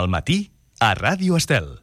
Al matí, a Ràdio Estel.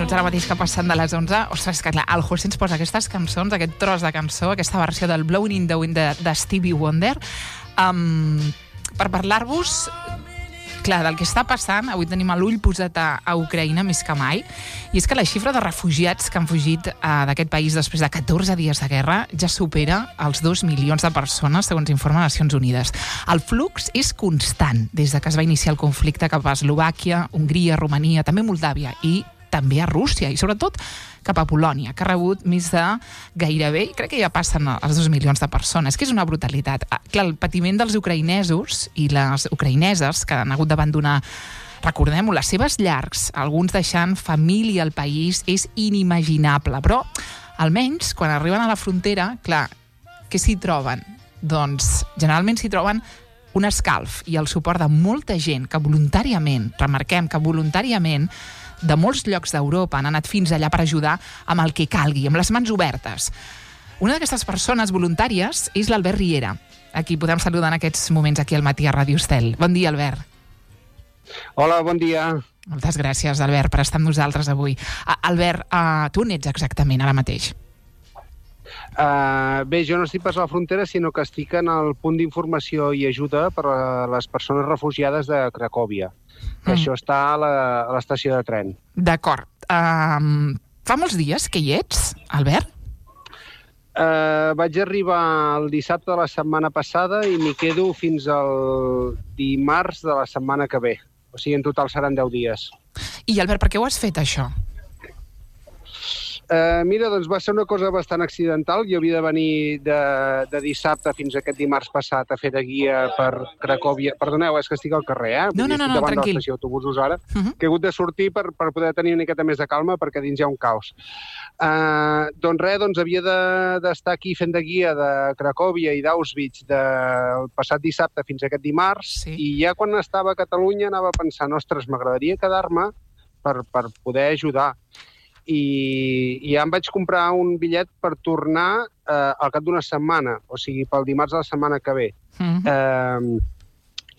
Ara mateix que passen de les 11. Ostres, que clar, el José ens posa aquestes cançons, aquest tros de cançó, aquesta versió del Blowing in the Wind de Stevie Wonder, per parlar-vos, clar, del que està passant. Avui tenim l'ull posat a Ucraïna més que mai, i és que la xifra de refugiats que han fugit d'aquest país després de 14 dies de guerra ja supera els 2 milions de persones, segons informa Nacions Unides. El flux és constant des de que es va iniciar el conflicte cap a Eslovàquia, Hongria, Romania, també Moldàvia i també a Rússia, i sobretot cap a Polònia, que ha rebut més de gairebé, crec que ja passen els 2 milions de persones, que és una brutalitat. Clar, el patiment dels ucraïnesos i les ucraïneses que han hagut d'abandonar, recordem-ho, les seves llars, alguns deixant família al país, és inimaginable. Però, almenys, quan arriben a la frontera, clar, què s'hi troben? Doncs, generalment s'hi troben un escalf i el suport de molta gent que voluntàriament, remarquem que voluntàriament, de molts llocs d'Europa han anat fins allà per ajudar amb el que calgui, amb les mans obertes. Una d'aquestes persones voluntàries és l'Albert Riera, a qui podem saludar en aquests moments aquí al matí a Ràdio Estel. Bon dia, Albert. Hola, bon dia. Moltes gràcies, Albert, per estar amb nosaltres avui. Albert, tu on ets exactament ara mateix? Bé, jo no estic pas a la frontera, sinó que estic en el punt d'informació i ajuda per a les persones refugiades de Cracòvia. Això està a l'estació de tren. D'acord. Fa molts dies que hi ets, Albert? Vaig arribar el dissabte de la setmana passada i m'hi quedo fins al dimarts de la setmana que ve. O sigui, en total seran 10 dies. I, Albert, per què ho has fet, això? Mira, doncs va ser una cosa bastant accidental. Jo havia de venir de dissabte fins a aquest dimarts passat a fer de guia per Cracòvia. Perdoneu, és que estic al carrer, No, estic davant tranquil. de l'estació d'autobusos ara, que he hagut de sortir per poder tenir una miqueta més de calma, perquè dins hi ha un caos. Doncs res, havia d'estar aquí fent de guia de Cracòvia i d'Auschwitz del passat dissabte fins a aquest dimarts, Sí. I ja quan estava a Catalunya anava pensant, ostres, m'agradaria quedar-me per poder ajudar. I ja em vaig comprar un bitllet per tornar al cap d'una setmana, o sigui, pel dimarts de la setmana que ve.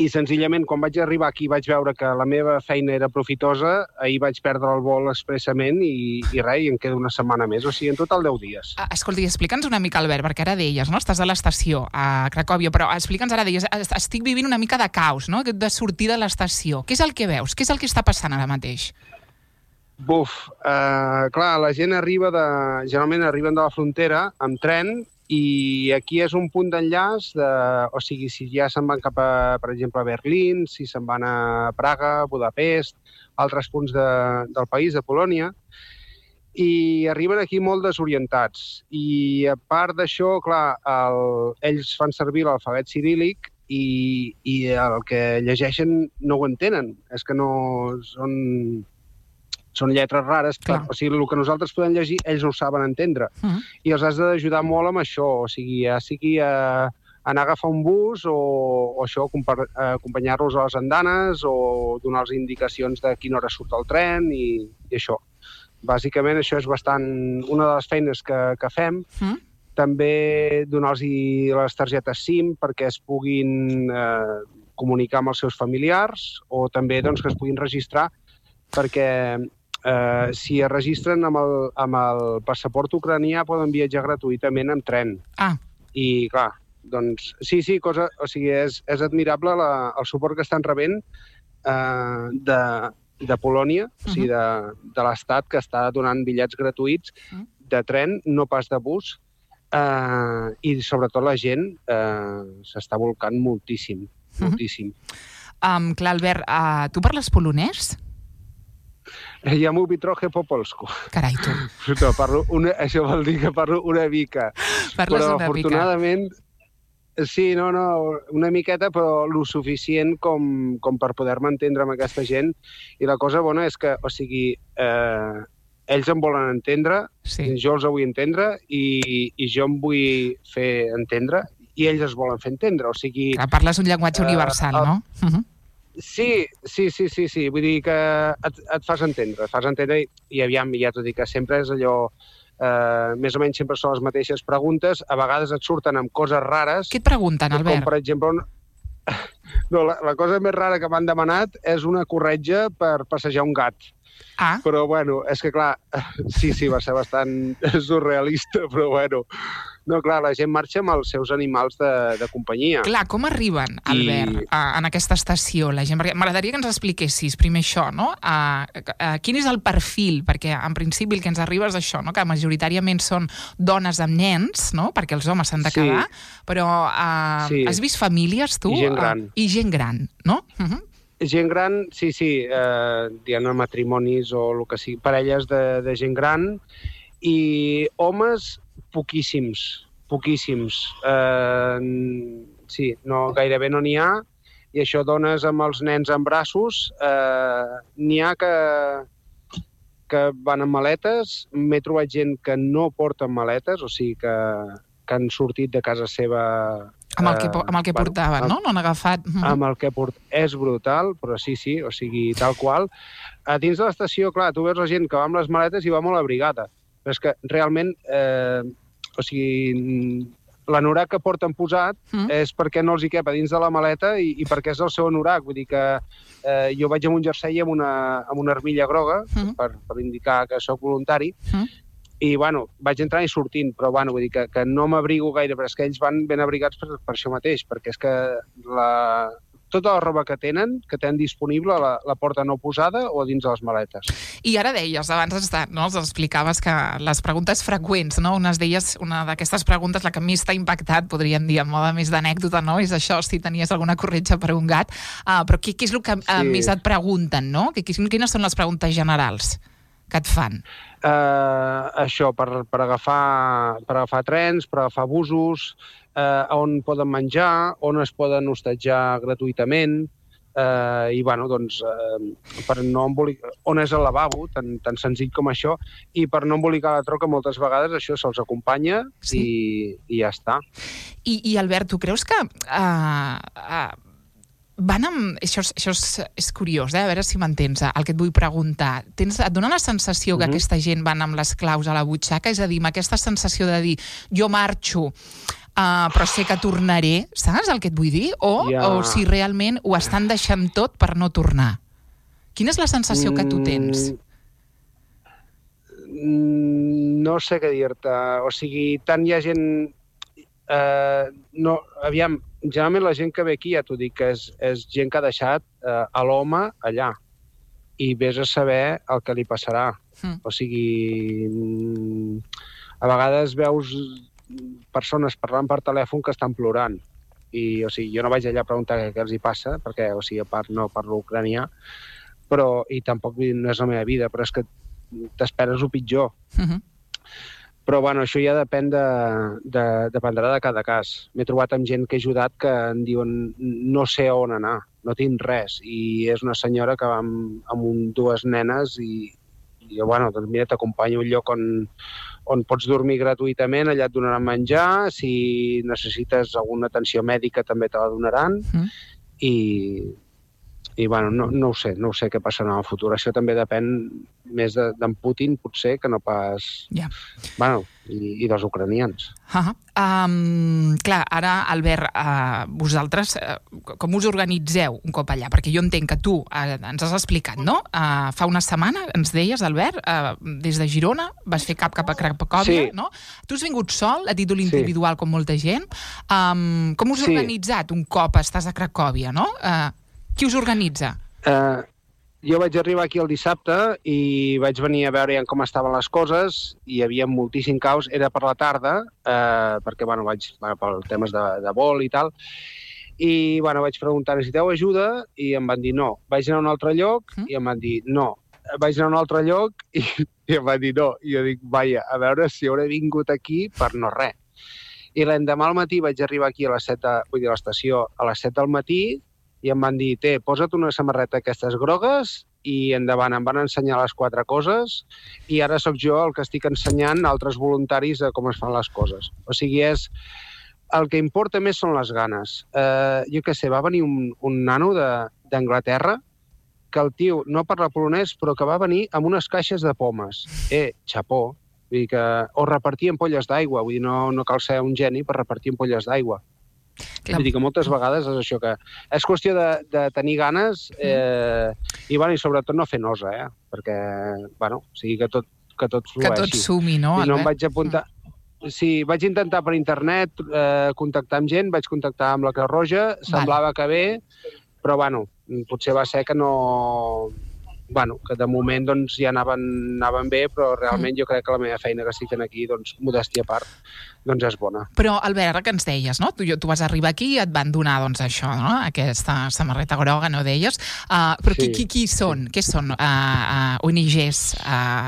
I senzillament, quan vaig arribar aquí vaig veure que la meva feina era profitosa, ahir vaig perdre el vol expressament i res, i em quedo una setmana més, o sigui, en total 10 dies. Escolta, explica'ns una mica, Albert, perquè ara deies, no? Estàs a l'estació, a Cracòvia, però explica'ns ara, deies, estic vivint una mica de caos, no? De sortir de l'estació. Què és el que veus? Què és el que està passant ara mateix? Clar, la gent generalment arriben de la frontera amb tren i aquí és un punt d'enllaç, o sigui, si ja se'n van cap a, per exemple, a Berlín, si se'n van a Praga, Budapest, altres punts del país, de Polònia, i arriben aquí molt desorientats. I a part d'això, clar, ells fan servir l'alfabet ciríl·lic i el que llegeixen no ho entenen. És que no són lletres rares, o sigui, el que nosaltres podem llegir, ells no ho saben entendre. I els has d'ajudar molt amb això, o sigui, ja sigui anar a agafar un bus o això, acompanyar-los a les andanes o donar-los indicacions de quina hora surt el tren i això. Bàsicament, això és bastant una de les feines que fem. També donar-los les targetes SIM perquè es puguin comunicar amb els seus familiars o també que es puguin registrar perquè si es registren amb el passaport ucranià poden viatjar gratuïtament amb tren. I clar, doncs sí, o sigui, és admirable el suport que estan rebent de Polònia, o sigui, de l'Estat, que està donant bitllets gratuïts de tren, no pas de bus, i sobretot la gent s'està volcant moltíssim, moltíssim. Clar, Albert, tu parles polonès? Ja m'ho trochę po polsku. Carai, tu. Això vol dir que parlo una mica. Parles una mica. Però afortunadament, sí, una miqueta, però lo suficient com per poder-me entendre amb aquesta gent. I la cosa bona és que, o sigui, ells em volen entendre, Sí. jo els vull entendre i jo em vull fer entendre i ells es volen fer entendre, o sigui... Clar, parles un llenguatge universal, no? Sí, vull dir que et fas entendre i aviam, ja t'ho dic, que sempre és allò, més o menys sempre són les mateixes preguntes, a vegades et surten amb coses rares. Què et pregunten, Albert? Com, per exemple, no, la cosa més rara que m'han demanat és una corretja per passejar un gat. Ah, Però, bueno, és que, clar, sí, va ser bastant surrealista, però, bueno... No, clar, la gent marxa amb els seus animals de companyia. clar, com arriben, Albert, en aquesta estació? La gent... Perquè m'agradaria que ens expliquessis primer això, no? Quin és el perfil? Perquè, en principi, el que ens arriba és això, no? Que majoritàriament són dones amb nens, no? Perquè els homes s'han de quedar, però has vist famílies, tu? I gent gran. I gent gran, no? Gent gran, sí, diguem-ne matrimonis o el que sigui, parelles de gent gran, i homes poquíssims. Sí, no, gairebé no n'hi ha, i això, dones amb els nens en braços, n'hi ha que van amb maletes, m'he trobat gent que no porten maletes, o sigui que han sortit de casa seva... Amb el que portaven, no? No han agafat... Amb el que és brutal, però sí, o sigui, tal qual. A dins de l'estació, clar, tu veus la gent que va amb les maletes i va molt abrigada, però és que realment, o sigui, l'anorac que porten posat és perquè no els hi cap a dins de la maleta i perquè és el seu anorac. Vull dir que jo vaig amb un jersei amb una armilla groga per indicar que sóc voluntari i, bueno, vaig entrant i sortint, però, bueno, vull dir que no m'abrigo gaire, però és que ells van ben abrigats per això mateix, perquè és que tota la roba que tenen disponible la porten o posada o dins de les maletes. I ara deies, abans ens explicaves que les preguntes freqüents, no? Una d'aquestes preguntes, la que més t'ha impactat, podríem dir, en mode més d'anècdota, no? És això, si tenies alguna corretja per un gat. Però què és el que més et pregunten, no? Quines són les preguntes generals que et fan? Això, per agafar trens, per agafar busos, on poden menjar, on es poden hostatjar gratuïtament, i, bueno, doncs, per no embolicar... On és el lavabo, tan senzill com això, i per no embolicar la troca, moltes vegades això se'ls acompanya i ja està. I Albert, tu creus que... van amb... Això és curiós, a veure si m'entens, el que et vull preguntar. Et dona la sensació que aquesta gent van amb les claus a la butxaca? És a dir, amb aquesta sensació de dir, jo marxo, però sé que tornaré, saps el que et vull dir? O si realment ho estan deixant tot per no tornar? Quina és la sensació que tu tens? No sé què dir-te. O sigui, tant hi ha gent... Aviam, generalment la gent que ve aquí, ja t'ho dic, que és gent que ha deixat a l'home allà i vés a saber el que li passarà. O sigui, a vegades veus persones parlant per telèfon que estan plorant i, o sigui, jo no vaig allà a preguntar què els hi passa, perquè, o sigui, a part no parlo ucranià, però, i tampoc no és la meva vida, però és que t'esperes el pitjor. Però, bueno, això ja dependrà de cada cas. M'he trobat amb gent que he ajudat que em diuen no sé on anar, no tinc res. I és una senyora que va amb dues nenes i bueno, doncs mira, t'acompanyo a un lloc on pots dormir gratuïtament, allà et donaran menjar, si necessites alguna atenció mèdica també te la donaran. I bueno, no ho sé què passarà en el futur. Això també depèn més d'en Putin, potser, que no pas... Bueno, i dels ucranians. Clar, ara, Albert, vosaltres com us organitzeu un cop allà? Perquè jo entenc que tu ens has explicat, no? Fa una setmana, ens deies, Albert, des de Girona, vas fer cap a Cracòvia, no? Tu has vingut sol, a títol individual, com molta gent. Com us heu organitzat un cop estàs a Cracòvia, no? Qui us organitza? Jo vaig arribar aquí el dissabte i vaig venir a veure com estaven les coses. Hi havia moltíssim caos. Era per la tarda, perquè, bueno, vaig per temes de vol i tal. I, bueno, vaig preguntar, necessiteu ajuda? I em van dir no. Vaig anar a un altre lloc i em van dir no. Vaig anar a un altre lloc i em van dir no. I jo dic, vaja, a veure si hauré vingut aquí per no res. I l'endemà al matí vaig arribar aquí a les 7, vull dir, a l'estació a les 7 del matí, i em van dir, posa't una samarreta aquestes grogues i endavant, em van ensenyar les 4 coses i ara sóc jo el que estic ensenyant a altres voluntaris a com es fan les coses. O sigui, el que importa més són les ganes. Jo què sé, va venir un nano d'Anglaterra que el tio no parla polonès, però que va venir amb unes caixes de pomes. Xapó. Vull dir que, o repartir ampolles d'aigua, vull dir, no cal ser un geni per repartir ampolles d'aigua. Vull dir que moltes vegades és això que... És qüestió de tenir ganes i sobretot no fer nosa, perquè, o sigui, que tot flueixi. Que tot sumi, no, Albert? No em vaig apuntar... Sí, vaig intentar per internet contactar amb gent, vaig contactar amb la Creu Roja, semblava que bé, però, potser va ser que no... que de moment doncs, ja anaven bé, però realment jo crec que la meva feina que estic fent aquí, doncs, modèstia a part, doncs és bona. Però, Albert, ara que ens deies, no? Tu vas arribar aquí i et van donar, doncs, això, no? Aquesta samarreta groga, no deies? Però sí. Qui són? Què són? ONGs?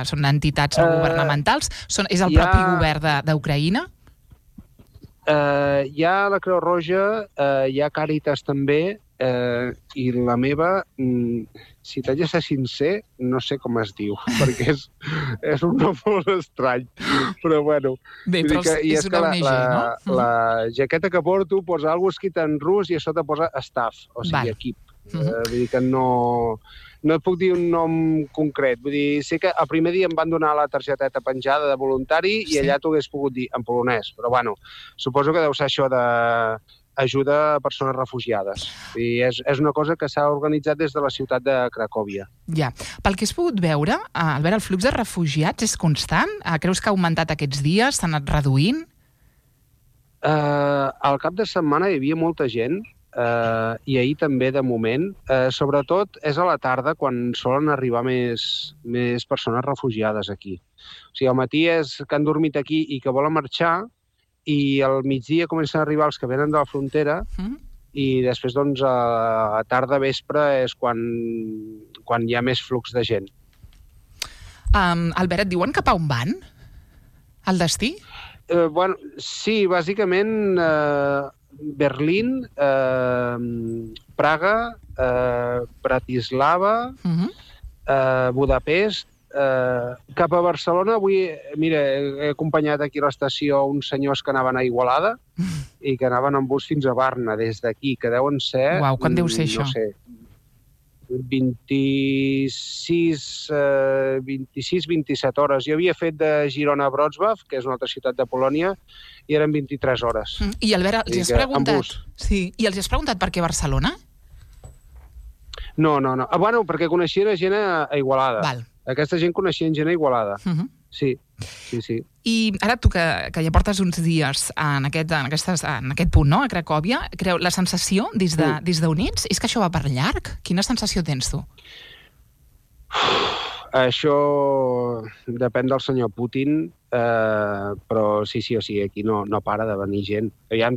Són entitats governamentals? És el propi govern d'Ucraïna? Hi ha la Creu Roja, hi ha Càritas també, i la meva, si t'haig de ser sincer, no sé com es diu, perquè és un nom molt estrany, però bueno. Bé, però és una ONG, no? La jaqueta que porto posa algo escrit en rus i a sota posa staff, o sigui, equip. Vull dir que no et puc dir un nom concret. Vull dir, sé que el primer dia em van donar la targeteta penjada de voluntari i allà t'ho hagués pogut dir en polonès, però suposo que deu ser això d'ajuda a persones refugiades. I és una cosa que s'ha organitzat des de la ciutat de Cracòvia. Ja. Pel que has pogut veure, Albert, el flux de refugiats és constant? Creus que ha augmentat aquests dies? S'ha anat reduint? Al cap de setmana hi havia molta gent, i ahir també, de moment. Sobretot és a la tarda quan solen arribar més persones refugiades aquí. O sigui, al matí és que han dormit aquí i que volen marxar, i al migdia comencen a arribar els que venen de la frontera i després, doncs, a tarda, vespre, és quan hi ha més flux de gent. Albert, et diuen cap a on van? Al destí? Sí, bàsicament Berlín, Praga, Bratislava, Budapest, cap a Barcelona. Avui, mira, he acompanyat aquí a l'estació uns senyors que anaven a Igualada i que anaven en bus fins a Barna, des d'aquí, que deuen ser... Uau, quan deu ser això? No sé, 26-27 hores. Jo havia fet de Girona a Wrocław, que és una altra ciutat de Polònia, i eren 23 hores. I Albert, els has preguntat... Sí, i els has preguntat per què Barcelona? No. Perquè coneixien gent a Igualada. Val. Aquesta gent coneixien gent a Igualada. Sí. I ara tu, que ja portes uns dies en aquest punt, no?, a Cracòvia, la sensació des d'Units és que això va per llarg? Quina sensació tens tu? Això depèn del senyor Putin, però sí, o sigui, aquí no para de venir gent.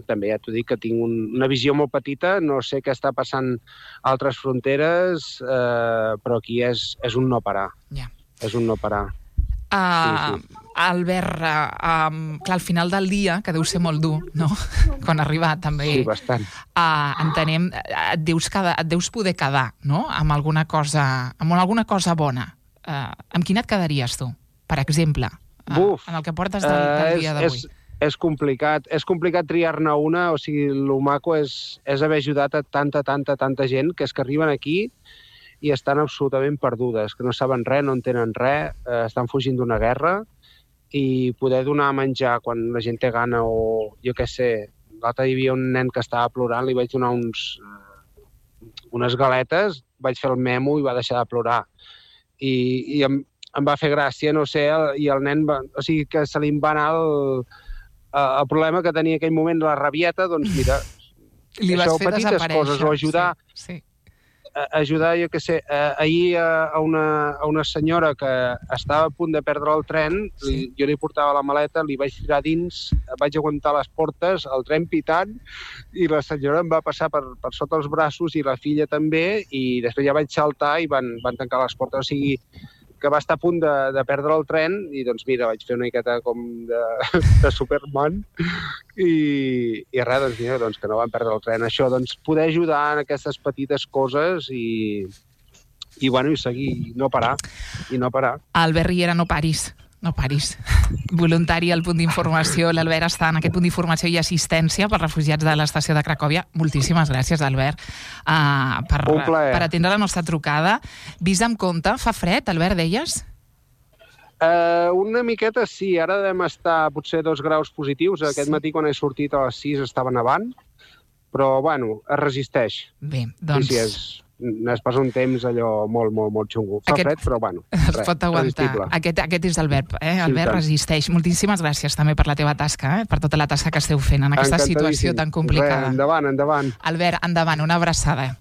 També ja t'ho dic que tinc una visió molt petita, no sé què està passant a altres fronteres, però aquí és un no parar. Ja. És un no parar. Sí. Albert, clar, al final del dia, que deu ser molt dur, no?, quan ha arribat, també. Sí, bastant. Entenem, et deus poder quedar, no?, amb alguna cosa bona. Amb quina et quedaries tu, per exemple, en el que portes del dia d'avui? És complicat triar-ne una, o sigui, el maco és haver ajudat a tanta gent que és que arriben aquí i estan absolutament perdudes, que no saben res, no entenen res, estan fugint d'una guerra, i poder donar menjar quan la gent té gana, o jo què sé, l'altre hi havia un nen que estava plorant, li vaig donar unes galetes, vaig fer el memo i va deixar de plorar. I em va fer gràcia, no sé, i el nen, o sigui, que se li va anar el problema que tenia en aquell moment, la rabieta, doncs mira, li vas fer desaparèixer. Coses, o ajudar... Sí. Ajudar, jo què sé, ahir a una senyora que estava a punt de perdre el tren, jo li portava la maleta, li vaig tirar dins, vaig aguantar les portes, el tren pitant, i la senyora em va passar per sota els braços i la filla també, i després ja vaig saltar i van tancar les portes, o sigui, que va estar a punt de perdre el tren, i doncs mira, vaig fer una miqueta com de Superman, i res, doncs mira, que no van perdre el tren. Això, doncs, poder ajudar en aquestes petites coses i i seguir, no parar. Albert Riera, no paris. Voluntari al punt d'informació. L'Albert està en aquest punt d'informació i assistència per refugiats de l'estació de Cracòvia. Moltíssimes gràcies, Albert, per atendre la nostra trucada. Vist amb compte, fa fred, Albert, deies? Una miqueta sí, ara devem estar potser 2 graus positius. Aquest matí quan he sortit a les 6 estava nevant, però bueno, es resisteix. Bé, doncs... Sí, es passa un temps allò molt xungo. Fa fred, però bueno, es pot aguantar. Aquest és el verb, Albert, resisteix. Moltíssimes gràcies també per la teva tasca, per tota la tasca que esteu fent en aquesta situació tan complicada. Endavant. Albert, endavant, una abraçada.